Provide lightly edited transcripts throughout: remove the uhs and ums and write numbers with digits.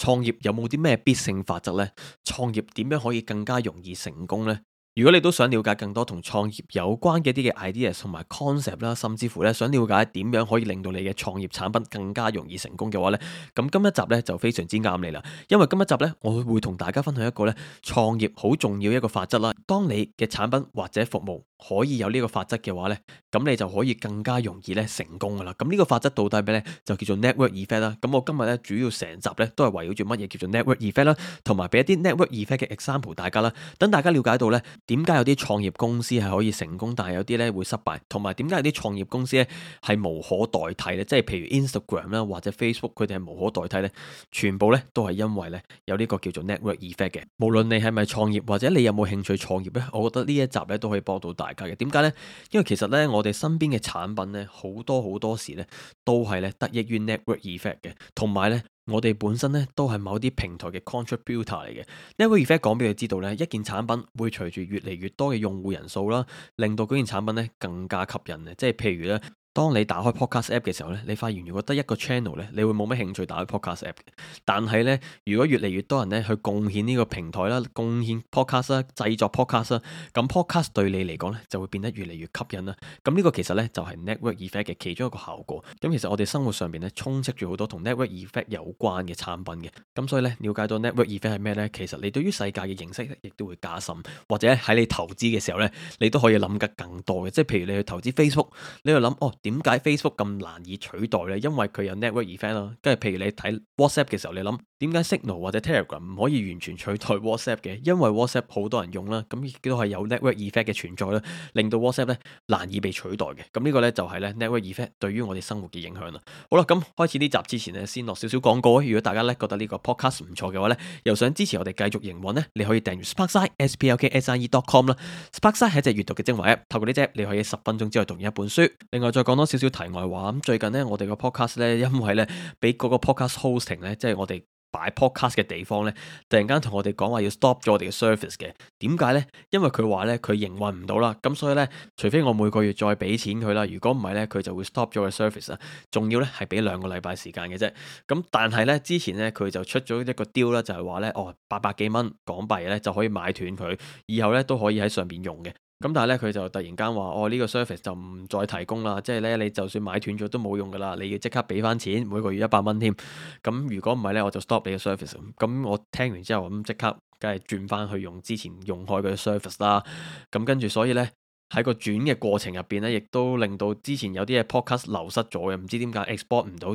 創業有冇啲咩必勝法則呢？創業點樣可以更加容易成功呢？如果你都想了解更多同創業有關嘅一啲嘅 ideas 同埋 concept 啦，甚至乎咧想了解點樣可以令到你嘅創業產品更加容易成功嘅話呢，咁今一集呢就非常之啱你啦。因為今一集呢，我會同大家分享一個呢創業好重要一個法則啦。當你嘅產品或者服務可以有呢個法則嘅話呢，咁你就可以更加容易咧成功噶啦。咁呢個法則到底咩呢？就叫做 network effect 啦。咁我今日咧主要成集咧都係圍繞住乜嘢叫做 network effect 啦，同埋俾一啲 network effect 嘅 example 大家啦，等大家了解到咧點解有啲創業公司係可以成功，但係有啲咧會失敗，同埋點解有啲創業公司咧係無可代替咧？即係譬如 Instagram 啦或者 Facebook，佢哋係無可代替咧，全部咧都係因為咧有呢個叫做 network effect 嘅。無論你係咪創業或者你有冇興趣創業咧，我覺得呢一集咧都可以幫到大家嘅。點解呢？因為其實咧我哋身邊嘅產品咧好多時咧都係咧得益於 network effect 嘅，同埋咧我哋本身咧都係某啲平台嘅 contributor 嚟嘅。network effect 講俾你知道咧，一件產品會隨住越嚟越多嘅用戶人數啦，令到嗰件產品咧更加吸引嘅。即係譬如咧，當你打開 podcast app 嘅時候咧，你發現如果得一個 channel 咧，你會冇乜興趣打開 podcast app 嘅。但係咧，如果越嚟越多人咧去貢獻呢個平台啦，貢獻 podcast 啦，製作 podcast 啦，咁 podcast 對你嚟講咧就會變得越嚟越吸引啦。咁呢個其實咧就係 network effect 嘅其中一個效果。咁其實我哋生活上邊咧充斥住好多同 network effect 有關嘅產品嘅。咁所以咧了解到 network effect 係咩咧，其實你對於世界嘅認識亦都會加深，或者喺你投資嘅時候咧，你都可以諗得更多嘅。即係譬如你去投資 Facebook， 你去諗點解 Facebook 咁難以取代呢？因為佢有 network effect 啦。跟住譬如你睇 WhatsApp 嘅時候，你諗點解 Signal 或者 Telegram 唔可以完全取代 WhatsApp 嘅？因為 WhatsApp 好多人用啦，咁亦都係有 network effect 嘅存在啦，令到 WhatsApp 咧難以被取代嘅。咁呢個咧就係咧 network effect 對於我哋生活嘅影響啦。好啦，咁開始呢集之前呢，先落少少廣告。如果大家咧覺得呢個 podcast 唔錯嘅話咧，又想支持我哋繼續營運呢，你可以訂閱 Sparkside sparkside.com 啦。Sparkside 係一隻閱讀嘅精華 app， 透過呢隻你可以10分鐘之內讀完一本書。另外再講多少少題外話，咁最近呢，我哋個 podcast 咧，因為咧俾嗰個 podcast hosting 咧，即係我哋擺 podcast 嘅地方咧，突然間同我哋講話要 stop 咗我哋嘅 service 嘅。點解呢？因為佢話咧佢營運唔到啦，咁所以咧，除非我每個月再俾錢佢啦，如果唔係咧，佢就會 stop 咗個 service 啊。仲要咧係俾2個禮拜時間嘅啫。咁但係咧之前咧佢就出咗一個 deal 啦，就係話咧800幾蚊港幣咧就可以買斷佢，以後咧都可以喺上邊用嘅。咁但係咧佢就突然間話呢個 service 就唔再提供啦，即係咧你就算買斷咗都冇用噶啦，你要即刻俾翻錢，每個月100蚊添。咁如果唔係咧，我就 stop 你嘅 service。咁我聽完之後咁即刻梗係轉翻去用之前用開嘅 service 啦。咁跟住所以咧喺個轉嘅過程入邊咧，亦都令到之前有啲嘅 podcast 流失咗嘅，唔知點解 export 唔到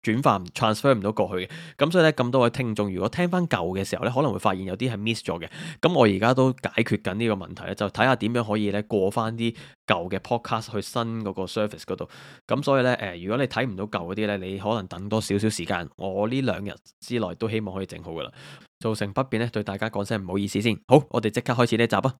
轉化transfer 唔到過去嘅。咁所以咧咁多位聽眾如果聽翻舊嘅時候咧，可能會發現有啲係 miss 咗嘅。咁我而家都解決緊呢個問題咧，就睇下點樣可以咧過翻啲舊嘅 podcast 去新嗰個 service 嗰度。咁所以咧如果你睇唔到舊嗰啲咧，你可能等多少少時間，我呢2日之內都希望可以整好噶啦。造成不便咧，對大家講聲唔好意思先。好，我哋即刻開始呢一集啊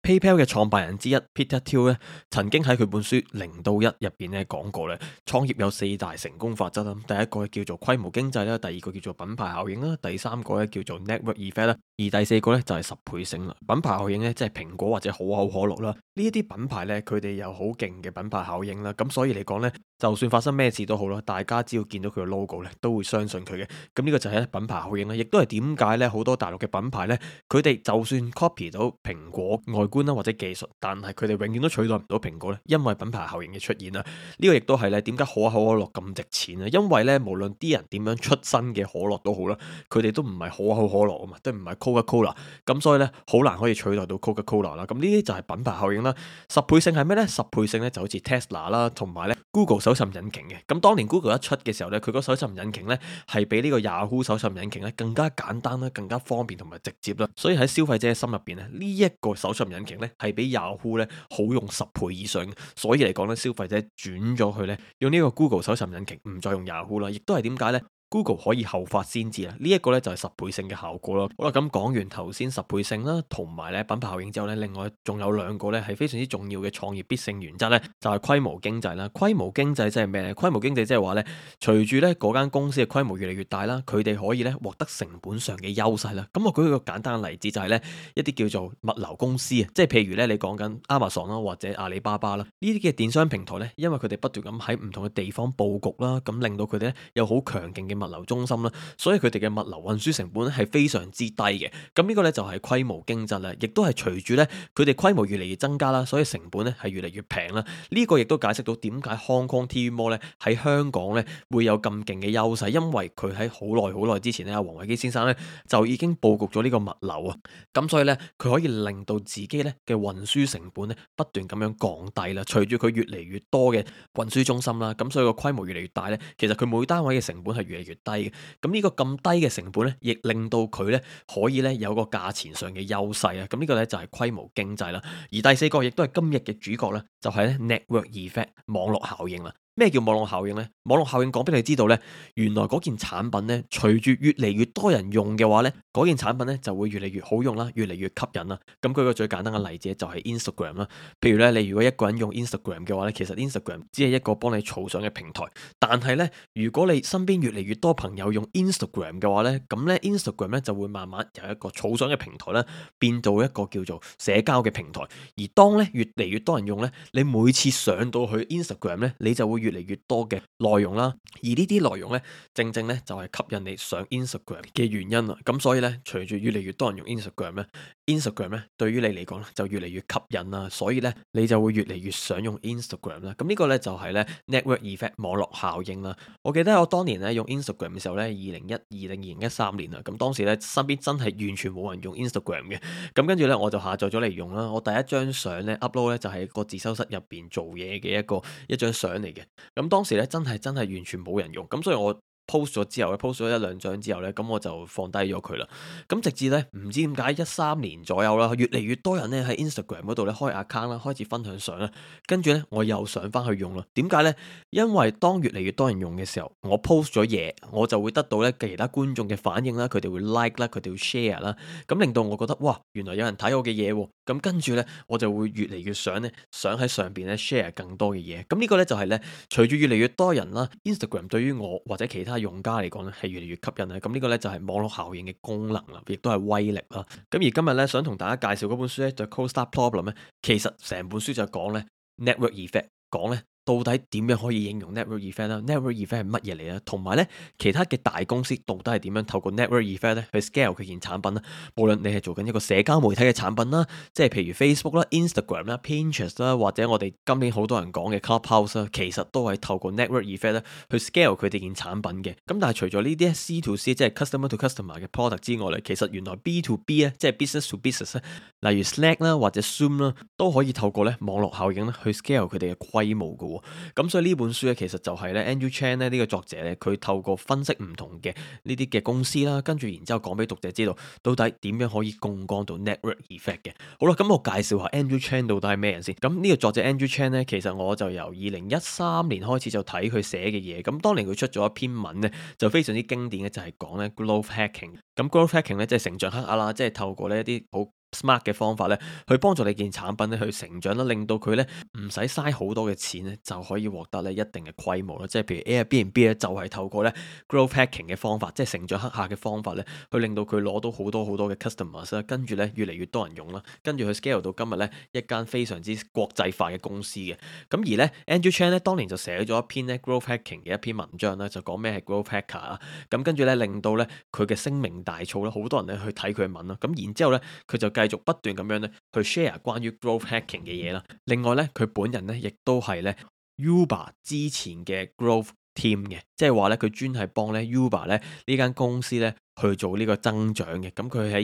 ！PayPal 嘅創辦人之一 Peter Thiel 咧，曾經喺佢本書0到1入邊咧講過咧，創業有4大成功法則啦。第一個叫做規模經濟啦，第二個叫做品牌效應啦，第三個咧叫做 network effect 啦，而第四個咧就係10倍性啦。品牌效應咧即係蘋果或者可口可樂啦，呢一啲品牌咧佢哋有好勁嘅品牌效應啦，咁所以嚟講咧，就算發生咩事都好啦，大家只要見到佢嘅 logo 咧，都會相信佢嘅。咁呢個就係品牌效應啦，亦都係點解咧好多大陸嘅品牌咧，佢哋就算 copy 到蘋果外觀啦或者技術，但係佢哋永遠都取代唔到蘋果咧，因為品牌效應嘅出現啦。呢個亦都係咧點解可口可樂咁值錢啊？因為咧無論啲人點樣出新嘅可樂都好啦，佢哋都唔係可口可樂啊嘛，都唔係 Coca-Cola， 咁所以咧好難可以取代到 Coca-Cola 啦。咁呢啲就係品牌效應啦。10倍性係咩咧？10倍性咧就好似 Tesla 啦，同埋咧 Google 搜尋引擎嘅。咁當年 Google 一出嘅時候咧，佢個搜尋引擎咧係比呢個 Yahoo 搜尋引擎咧更加簡單啦，更加方便同埋直接啦。所以喺消費者嘅心入邊咧，呢一個搜尋引擎咧係比 Yahoo 咧好用10倍以上。所以嚟講咧，消費者轉咗去咧用呢個 Google 搜尋引擎，唔再用 Yahoo 啦。亦都係點解咧 Google 可以後發先至啦。呢一個咧就係十倍性嘅效果咯。好啦，咁講完頭先十倍性啦，同埋咧品牌效應之後咧，另外仲有兩個咧係非常之重要嘅創業必勝原則咧，就係規模經濟啦。規模經濟即係咩咧？規模經濟即係話咧，隨住咧嗰間公司嘅規模越嚟越大啦，佢哋可以咧獲得成本上嘅優勢啦。咁我舉一個簡單嘅例子就係咧一啲叫做物流公司啊，即係譬如咧你講緊 Amazon 啦或者阿里巴巴啦呢啲嘅電商平台咧，因為佢哋不斷咁喺唔同嘅地方佈局啦，咁令到佢哋咧有好強勁嘅物流中心啦，所以佢哋嘅物流運輸成本咧係非常之低嘅。咁呢個咧就係規模經濟啦，亦都係隨住咧佢哋規模越嚟越增加啦，所以成本咧係越嚟越平啦。呢個亦都解釋到點解 Hong Kong TV Mall 咧喺香港咧會有咁勁嘅優勢，因為佢喺好耐之前咧，阿黃偉基先生咧就已經佈局咗呢個物流啊，咁所以咧佢可以令到自己咧嘅運輸成本咧不斷咁樣降低啦。隨住佢越嚟越多嘅運輸中心啦，咁所以個規模越嚟越大咧，其實佢每單位嘅成本係越嚟越低嘅。咁呢個咁低嘅成本咧，亦令到佢咧可以咧有個價錢上嘅優勢啊。咁呢個咧就係規模經濟啦。而第四個亦都係今日嘅主角咧，就係咧 network effect 網絡效應啦。咩叫網絡效應呢？網絡效應講俾你知道呢，原來嗰件產品呢，隨住越嚟越多人用嘅話呢，嗰件產品呢就會越嚟越好用啦，越嚟越吸引啦。咁舉個最簡單嘅例子就係 Instagram 啦。譬如呢，你如果一個人用 Instagram 嘅話呢，其實 Instagram 只係一個幫你儲相嘅平台。但係呢，如果你身邊越嚟越多朋友用 Instagram 嘅話呢，咁呢 Instagram 呢就會慢慢由一個儲相嘅平台呢變到一個叫做社交嘅平台。而當呢越嚟越多人用呢，你每次上到去 Instagram 呢，你就會越嚟越多嘅內容啦，而呢啲內容呢，正正呢就係吸引你上 Instagram 嘅原因啦。咁所以呢，隨住越嚟越多人用 Instagram 呢， Instagram 呢對於你嚟講呢就越嚟越吸引啦，所以呢，你就會越嚟越想用 Instagram 啦。咁呢個呢就係呢 network effect 網絡效應啦。我記得我當年呢用 Instagram 嘅時候呢，2012定2013年啊，咁當時呢身邊真係完全冇人用 Instagram 嘅，咁跟住呢，我就下載咗嚟用啦。我第一張相呢 upload 呢就係個自修室入邊做嘢嘅一張相嚟嘅。咁當時咧真係完全冇人用，咁所以我 post 咗之後咧，post 咗一兩張之後咧，咁我就放低咗佢啦。咁直至咧唔知點解13年左右啦，越嚟越多人咧喺 Instagram 嗰度咧開 account 啦，開始分享相啦，跟住咧我又上翻去用啦。點解咧？因為當越嚟越多人用嘅時候，我 post 咗嘢，我就會得到咧其他觀眾嘅反應啦，佢哋會 like 啦，佢哋會 share 啦，咁令到我覺得哇，原來有人睇我嘅嘢喎。咁跟住咧，我就會越嚟越想喺上邊咧 share 更多嘅嘢。咁呢個咧就係咧，隨住越嚟越多人啦，Instagram 對於我或者其他用家嚟講咧係越嚟越吸引啦。咁呢個咧就係網絡效應嘅功能啦，亦都係威力啦。咁而今日咧想同大家介紹嗰本書咧就 Cold Start Problem 咧，其實成本書就講咧 network effect， 講咧到底點樣可以應用 network effect 啦？network effect 係乜嘢嚟啊？同埋咧，其他嘅大公司到底係點樣透過 network effect 咧去 scale 佢件產品啦？無論你係做緊一個社交媒體嘅產品啦，即係譬如 Facebook 啦、Instagram 啦、Pinterest 啦，或者我哋今年好多人講嘅 Clubhouse 啦，其實都係透過 network effect 咧去 scale 佢哋件產品嘅。咁但係除咗呢啲 C to C 即係 customer to customer 嘅 product 之外咧，其實原來 B to B 咧即係 business to business 咧，例如 Slack 啦或者 Zoom 啦，都可以透過咧網絡效應咧去 scale 佢哋嘅規模嘅。咁所以呢本書咧，其實就係咧 Andrew Chan 咧呢個作者咧，佢透過分析唔同嘅呢啲嘅公司啦，跟住然之後講俾讀者知道，到底點樣可以槓桿到 network effect 嘅。好啦，咁我介紹下 Andrew Chan 到底係咩人先。咁呢個作者 Andrew Chan 咧，其實我就由2013年開始就睇佢寫嘅嘢。咁當年佢出咗一篇文咧，就非常之經典嘅，就係講咧 growth hacking。咁 growth hacking 咧即係成長黑客啦，即係透過呢一啲好smart 嘅方法咧，去幫助你件產品咧去成長啦，令到佢咧唔使嘥好多嘅錢咧，就可以獲得咧一定嘅規模啦。即係譬如 Airbnb 咧，就係透過咧 growth hacking 嘅方法，即係成長黑客嘅方法咧，去令到佢攞到好多嘅 customers 啦，跟住咧越嚟越多人用啦，跟住佢 scale 到今日咧一間非常之國際化嘅公司嘅。咁而咧 Andrew Chan 咧當年就寫咗一篇咧 growth hacking 嘅一篇文章啦，就講咩係 growth hacker 啊。咁跟住咧令到咧佢嘅聲名大噪啦，好多人咧去睇佢嘅文啦。咁然之後咧佢就繼續不斷咁樣咧去 share 關於 growth hacking 嘅嘢啦。另外咧佢本人咧亦都係咧 Uber 之前嘅 growth team 嘅，即係話咧佢專係幫咧 Uber 咧呢間公司咧去做呢個增長嘅。咁佢喺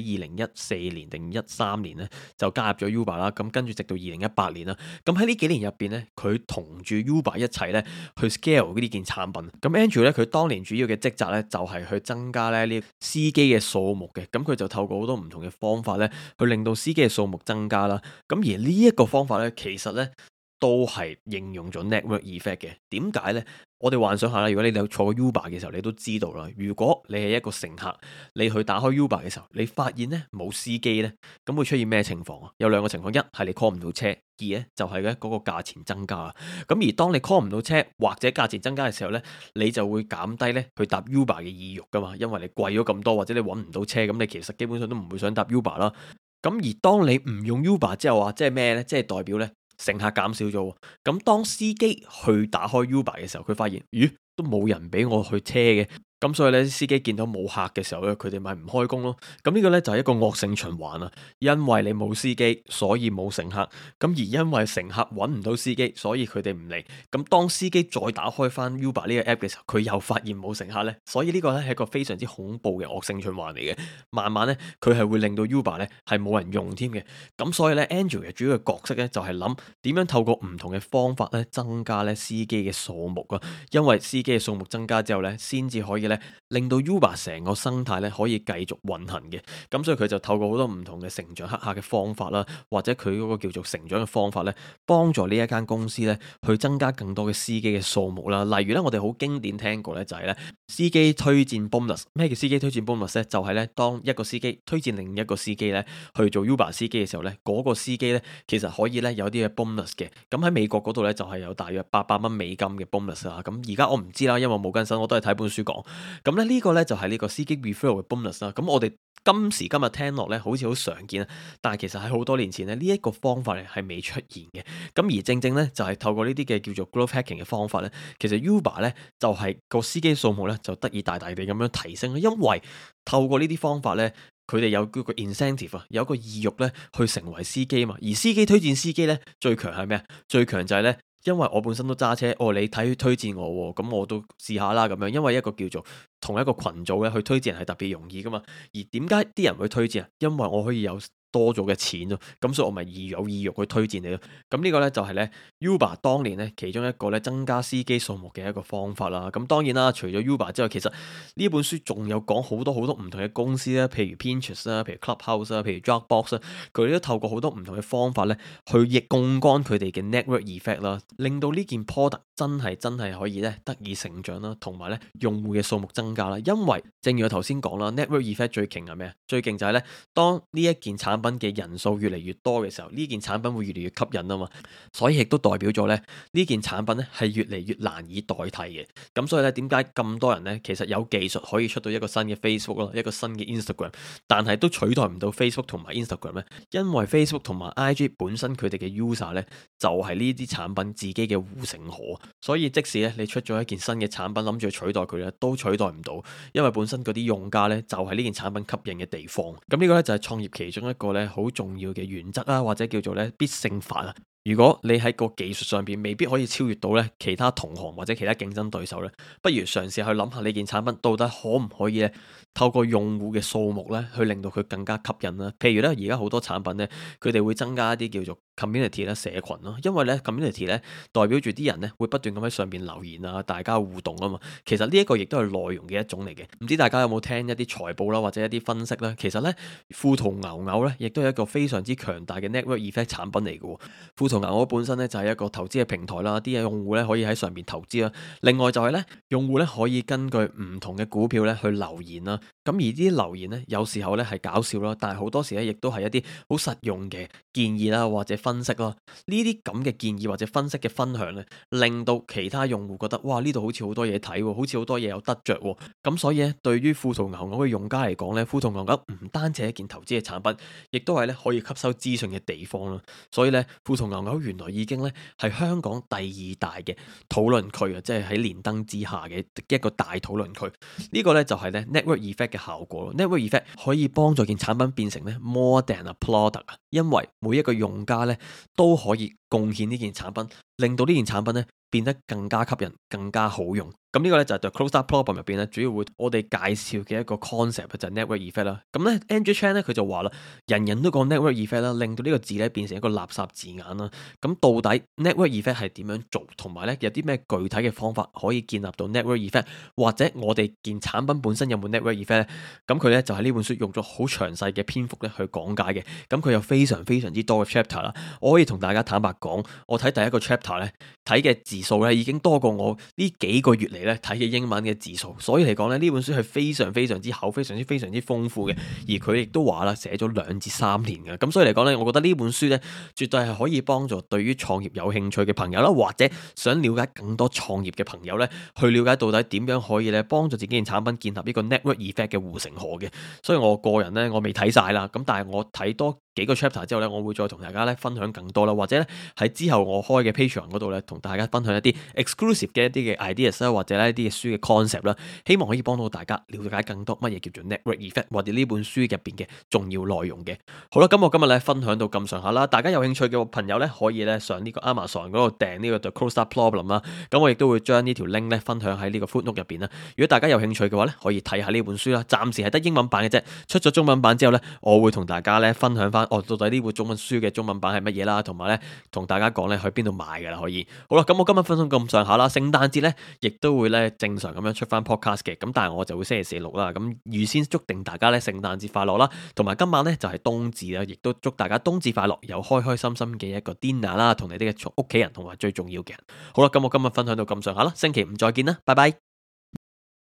2014年定13年咧就加入咗 Uber 啦。咁跟住直到2018年啦。咁喺呢幾年入邊咧，佢同住 Uber 一齊咧去 scale 呢件產品。咁 Andrew 咧佢當年主要嘅職責咧就係去增加咧呢司機嘅數目嘅。咁佢就透過好多唔同嘅方法咧去令到司機嘅數目增加啦。咁而呢一個方法咧其實咧都係應用咗 network effect 嘅。點解呢？我哋幻想下啦，如果你有坐過 Uber 嘅時候，你都知道啦。如果你係一個乘客，你去打開 Uber 嘅時候，你發現呢冇司機呢，咁會出現咩情況啊？有兩個情況，一係你 call 唔到車，二呢就係咧嗰個價錢增加啦。咁而當你 call 唔到車或者價錢增加嘅時候呢，你就會減低呢去搭 Uber 嘅意欲噶嘛，因為你貴咗咁多，或者你揾唔到車，咁你其實基本上都唔會想搭 Uber 啦。咁而當你唔用 Uber 之後啊，即係咩呢？即係代表呢乘客減少咗。咁當司機去打開 Uber 嘅時候，佢發現，咦，都冇人俾我去車嘅。咁所以咧，司機見到冇客嘅時候咧，佢哋咪唔開工咯。咁呢個咧就係一個惡性循環啊。因為你冇司機，所以冇乘客。咁而因為乘客揾唔到司機，所以佢哋唔嚟。咁當司機再打開翻 Uber 呢個 app 嘅時候，佢又發現冇乘客咧。所以呢個咧係一個非常之恐怖嘅惡性循環嚟嘅。慢慢咧，佢係會令到 Uber 咧係冇人用添嘅。咁所以咧，Andrew 嘅主要嘅角色咧就係諗點樣透過唔同嘅方法咧增加咧司機嘅數目啊。因為司機嘅數目增加之後咧，先至可以令到 Uber 成個生態咧可以繼續運行嘅。咁所以佢就透過好多唔同嘅成長黑客嘅方法啦，或者佢嗰個叫做成長嘅方法咧，幫助呢一間公司咧去增加更多嘅司機嘅數目啦。例如咧，我哋好經典聽過咧就係咧司機推薦 bonus。咩叫司機推薦 bonus 咧？就係咧當一個司機推薦另一個司機咧去做 Uber 司機嘅時候咧，嗰個司機咧其實可以咧有啲嘅 bonus 嘅。咁喺美國嗰度咧就係有大約800蚊美金嘅 bonus 啦。咁而家我唔知啦，因為我冇更新，我都係睇本書講。咁呢個呢，就係呢個司機 referral 嘅 bonus 啦。咁我哋今時今日聽落呢，好似好常見啊，但係其實喺好多年前呢，呢一個方法呢係未出現嘅。咁而正正呢，就係透過呢啲嘅叫做 growth hacking 嘅方法呢，其實 Uber 呢，就係個司機數目呢，就得以大大地咁樣提升。因為透過呢啲方法呢，佢哋有嗰個 incentive 啊，有一個意欲呢去成為司機嘛。而司機推薦司機呢，最強係咩啊？最強就係呢。因為我本身都揸車，你推薦我，咁我都試下啦咁樣。因為一個叫做同一個群組咧，去推薦係特別容易噶嘛。而點解啲人會推薦啊？因為我可以有多咗嘅錢咯，咁所以我咪有意欲去推薦你咯。咁呢個呢，就係呢 Uber 當年呢其中一個呢增加司機數目嘅一個方法啦。咁當然啦，除咗 Uber 之外，其實呢本書仲有講好多好多唔同嘅公司啦，譬如 Pinterest 啦，譬如 Clubhouse 啦，譬如 Dropbox 啦，佢哋都透過好多唔同嘅方法呢去掖槓桿佢哋嘅 network effect 啦，令到呢件 product 真係可以呢得以成長啦，同埋呢用戶嘅數目增加啦。因為正如我頭先講啦，network effect 最勁係咩？最勁就係呢，當呢一件產品嘅人數越嚟越多嘅時候，呢件產品會越嚟越吸引啊嘛，所以亦都代表咗咧呢件產品咧係越嚟越難以代替嘅。咁所以咧，點解咁多人咧其實有技術可以出到一個新嘅 Facebook 咯，一個新嘅 Instagram，但係都取代唔到 Facebook 同埋 Instagram 咧？因為 Facebook 同埋 IG 本身佢哋嘅 user 咧就係呢啲產品自己嘅護城河，所以即使咧你出咗一件新嘅產品諗住取代佢咧，都取代唔到，因為本身嗰啲用家咧就係呢件產品吸引嘅地方。咁呢個咧就係創業其中一個咧好重要嘅原則啦，或者叫做咧必勝法啊。如果你喺個技術上邊未必可以超越到咧其他同行或者其他競爭對手咧，不如嘗試去諗下呢件產品到底可唔可以咧透過用戶嘅數目咧去令到佢更加吸引啦。譬如咧而家好多產品咧，佢哋會增加一啲叫做 community 啦，社群咯，因為咧 community 咧代表住啲人咧會不斷咁喺上邊留言啊，大家互動啊嘛。其實呢一個亦都係內容嘅一種嚟嘅。唔知大家有冇聽一啲財報啦，或者一啲分析啦？其實咧富途牛牛咧亦都係一個非常之強大嘅 network effect 產品嚟嘅。富途牛牛本身咧就係一個投資嘅平台啦，啲用戶咧可以喺上面投資啦。另外就係咧，用戶咧可以根據唔同嘅股票咧去留言啦。咁而啲留言咧，有時候咧係搞笑啦，但係好多時咧亦都係一啲好實用嘅建議啦，或者分析啦。呢啲咁嘅建議或者分析嘅分享咧，令到其他用戶覺得哇，呢度好似好多嘢睇，好似好多嘢有得着。咁所以咧，對於富途牛牛嘅用家嚟講咧，富途牛牛唔單止係一件投資嘅產品，亦都係咧可以吸收資訊嘅地方啦。所以咧，富途牛牛原來已經咧係香港第二大嘅討論區啊，即係喺連登之下嘅一個大討論區。呢個咧就係咧 network effect 嘅效果。network effect 可以幫助件產品變成咧 more than a product 啊，因為每一個用家咧都可以貢獻呢件產品，令到呢件產品咧變得更加吸引、更加好用。咁呢個咧就係 The Closed-Up Problem 入邊咧，主要會我哋介紹嘅一個 concept 就係 network effect 啦。咁咧 Andrew Chan 咧佢就話啦，人人都講 network effect 啦，令到呢個字咧變成一個垃圾字眼啦。咁到底 network effect 係點樣做，同埋咧有啲咩具體嘅方法可以建立到 network effect，或者我哋件產品本身有冇 network effect 咧？咁佢咧就喺呢本書用咗好詳細嘅篇幅咧去講解嘅。咁佢有非常非常之多嘅 chapter 啦。我可以同大家坦白講，我睇第一個 chapter 咧睇嘅字數咧已經多過我呢幾個月嚟咧睇嘅英文嘅字數，所以嚟講咧呢本書係非常非常之厚、非常之豐富嘅。而佢亦都話啦，寫咗2至3年嘅，咁所以嚟講咧，我覺得呢本書咧絕對係可以幫助對於創業有興趣嘅朋友啦，或者想了解更多創業嘅朋友咧，去了解到底點樣可以咧幫助自己嘅產品建立呢個 network effect 嘅護城河嘅。所以我個人咧，我未睇晒啦，咁但係我睇多幾個 chapter 之後咧，我會再同大家咧分享更多啦，或者咧喺之後我開嘅 Patreon 嗰度咧，同大家分享一啲 exclusive 嘅一啲嘅 ideas 啦，或者咧一啲嘅書嘅 concept 啦，希望可以幫到大家了解更多乜嘢叫做 network effect，或者呢本書入邊嘅重要內容嘅。好啦，咁我今日咧分享到咁上下啦，大家有興趣嘅朋友咧可以咧上呢個 Amazon 嗰度訂呢個 The Closed-Up Problem 啦，咁我亦都會將呢條 link 咧分享喺呢個 footnote 入邊啦。如果大家有興趣嘅話咧，可以睇下呢本書啦，暫時係得英文版嘅啫，出咗中文版之後咧，我會同大家咧分享翻到底呢本中文書嘅中文版係乜嘢啦，同埋咧同大家講咧去邊度買噶啦，可以。好啦，咁我今日分享咁上下啦，聖誕節咧亦都會咧正常咁樣出翻 podcast 嘅，咁但係我就會星期四錄啦，咁預先祝定大家咧聖誕節快樂啦，同埋今晚咧就係冬至啦，亦都祝大家冬至快樂，有開開心心嘅一個 dinner 啦，同你哋嘅屋企人同埋最重要嘅人。好啦，咁我今日分享到咁上下啦，星期五再見啦，拜拜。